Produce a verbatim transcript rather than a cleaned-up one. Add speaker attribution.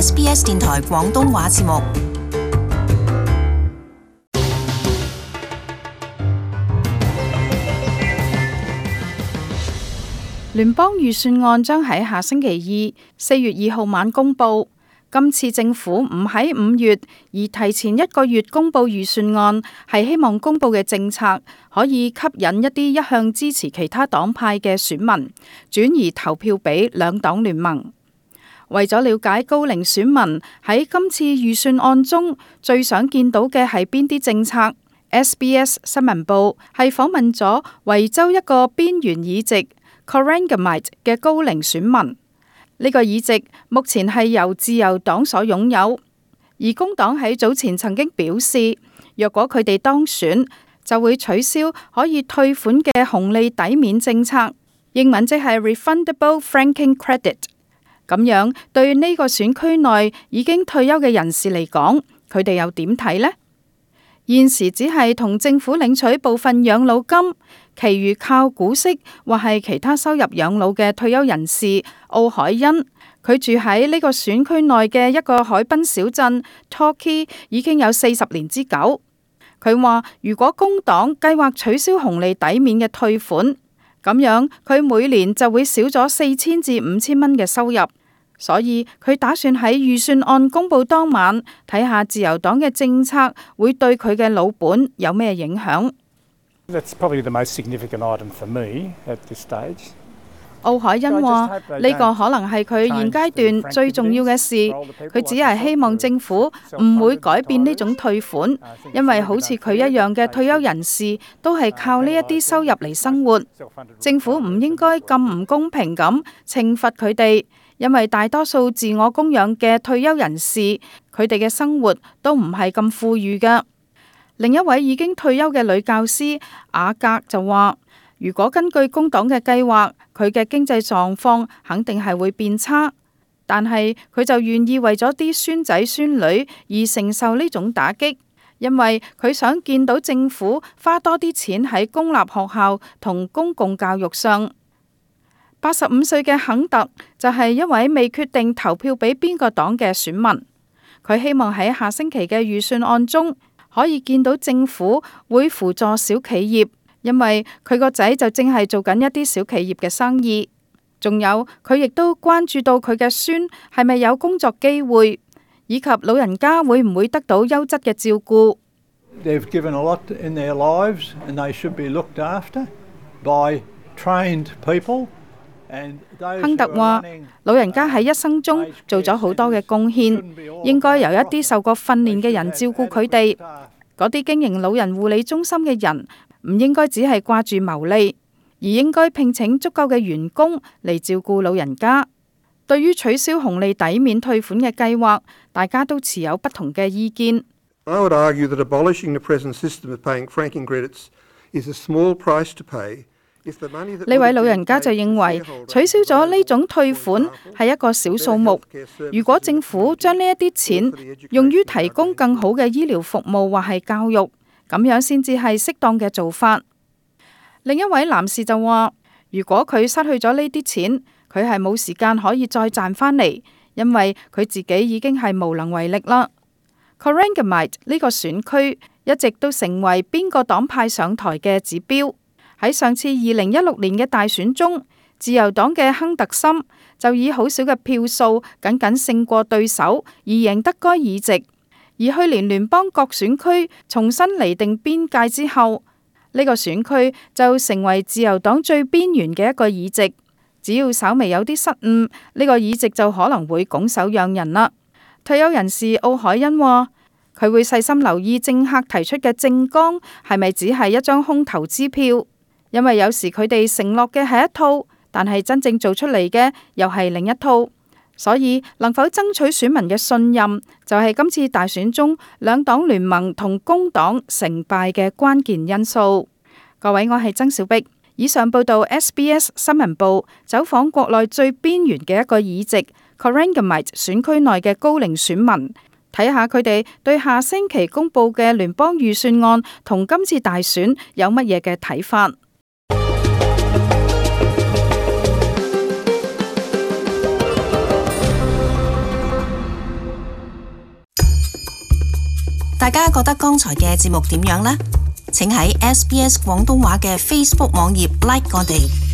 Speaker 1: S B S 電台廣東話節目。
Speaker 2: 聯邦預算案將喺下星期二四月二號晚公佈。今次政府唔喺五月，而提前一個月公佈預算案，係希望公佈嘅政策可以吸引一啲一向支持其他黨派嘅選民轉移投票俾兩黨聯盟。為咗了解高齡選民喺今次預算案中最想見到嘅係邊啲政策， S B S 新聞部係訪問咗維州一個邊緣議席 Corangamite 嘅高齡選民。呢個議席目前係由自由黨所擁有，而工黨喺早前曾經表示，若果佢哋當選，就會取消可以退款嘅紅利抵免政策，英文即係 Refundable Franking Credit。咁樣對呢個選區內已經退休嘅人士嚟講，佢哋又點睇呢？現時只係同政府領取部分養老金，其餘靠股息或係其他收入養老嘅退休人士奧海恩，佢住喺呢個選區內嘅一個海濱小鎮 Torquay 已經有四十年之久。佢話如果工黨計劃取消紅利抵免嘅退款，咁樣佢每年就會少咗四千至五千蚊嘅收入。所以佢打算喺預算案公佈當晚睇下自由黨嘅政策會對佢嘅老本有咩影響。
Speaker 3: That's probably the most significant item for me at this stage.
Speaker 2: 奧海恩話呢個可能係佢現階段最重要嘅事，佢只係希望政府唔會改變呢種退款，因為好似佢一樣嘅退休人士都係靠呢一啲收入嚟生活，政府唔應該咁唔公平咁懲罰佢哋。因為大多數自我供養嘅退休人士，佢哋嘅生活都唔係咁富裕㗎。另一位已經退休嘅女教師雅格就話，如果根據工黨嘅計劃，佢嘅經濟狀況肯定係會變差，但係佢就願意為咗啲孫仔孫女而承受呢種打擊，因為佢想見到政府花多啲錢喺公立學校同公共教育上。八十五歲嘅肯特就係一位未決定投票俾邊個黨嘅選民，佢希望喺下星期嘅預算案中可以見到政府會輔助小企業，因為佢個仔就正係做緊一啲小企業嘅生意。仲有佢亦都關注到佢嘅孫係咪有工作機會，以及老人家會唔會得到優質嘅照顧。
Speaker 4: They've given a lot in their lives and they should be looked after by trained people.
Speaker 2: 亨特話：老人家喺一生中做咗好多嘅貢獻，應該由一啲受過訓練嘅人照顧佢哋。嗰啲經營老人護理中心嘅人唔應該只係掛住牟利，而應該聘請足夠嘅員工嚟照顧老人家。對於取消紅利抵免退款嘅計劃，大家都持有不同嘅意見。
Speaker 5: I would argue that abolishing the present system of paying franking credits is a small price to pay.
Speaker 2: 呢位老人家就認為取消咗呢種退款係一個小數目，如果政府將呢一啲錢用於提供更好嘅醫療服務或係教育，咁樣先至係適當嘅做法。另一位男士就話，如果佢失去咗呢啲錢，佢係冇時間可以再賺返嚟，因為佢自己已經係無能為力啦。Corangamite 呢個選區一直都成為邊個黨派上台嘅指標。喺上次二零一六年嘅大選中，自由黨嘅亨特森就以好少嘅票數僅僅勝過對手而贏得該議席。而去年聯邦各選區重新釐定邊界之後，呢個選區就成為自由黨最邊緣嘅一個議席。只要稍微有啲失誤，呢個議席就可能會拱手讓人啦。退休人士奧海恩話，佢會細心留意政客提出嘅政綱係咪只係一張空頭支票。因為有時佢哋承諾嘅係一套，但係真正做出嚟嘅又係另一套，所以能否爭取選民嘅信任，就係今次大選中兩黨聯盟同工黨成敗嘅關鍵因素。各位，我係曾小碧，以上報道 S B S 新聞部走訪國內最邊緣嘅一個議席 Corangamite 選區內嘅高齡選民，睇下佢哋對下星期公佈嘅聯邦預算案同今次大選有乜嘢嘅睇法。
Speaker 1: 大家覺得剛才嘅節目點樣呢？請喺 S B S 廣東話嘅 Facebook 網頁 like 我哋。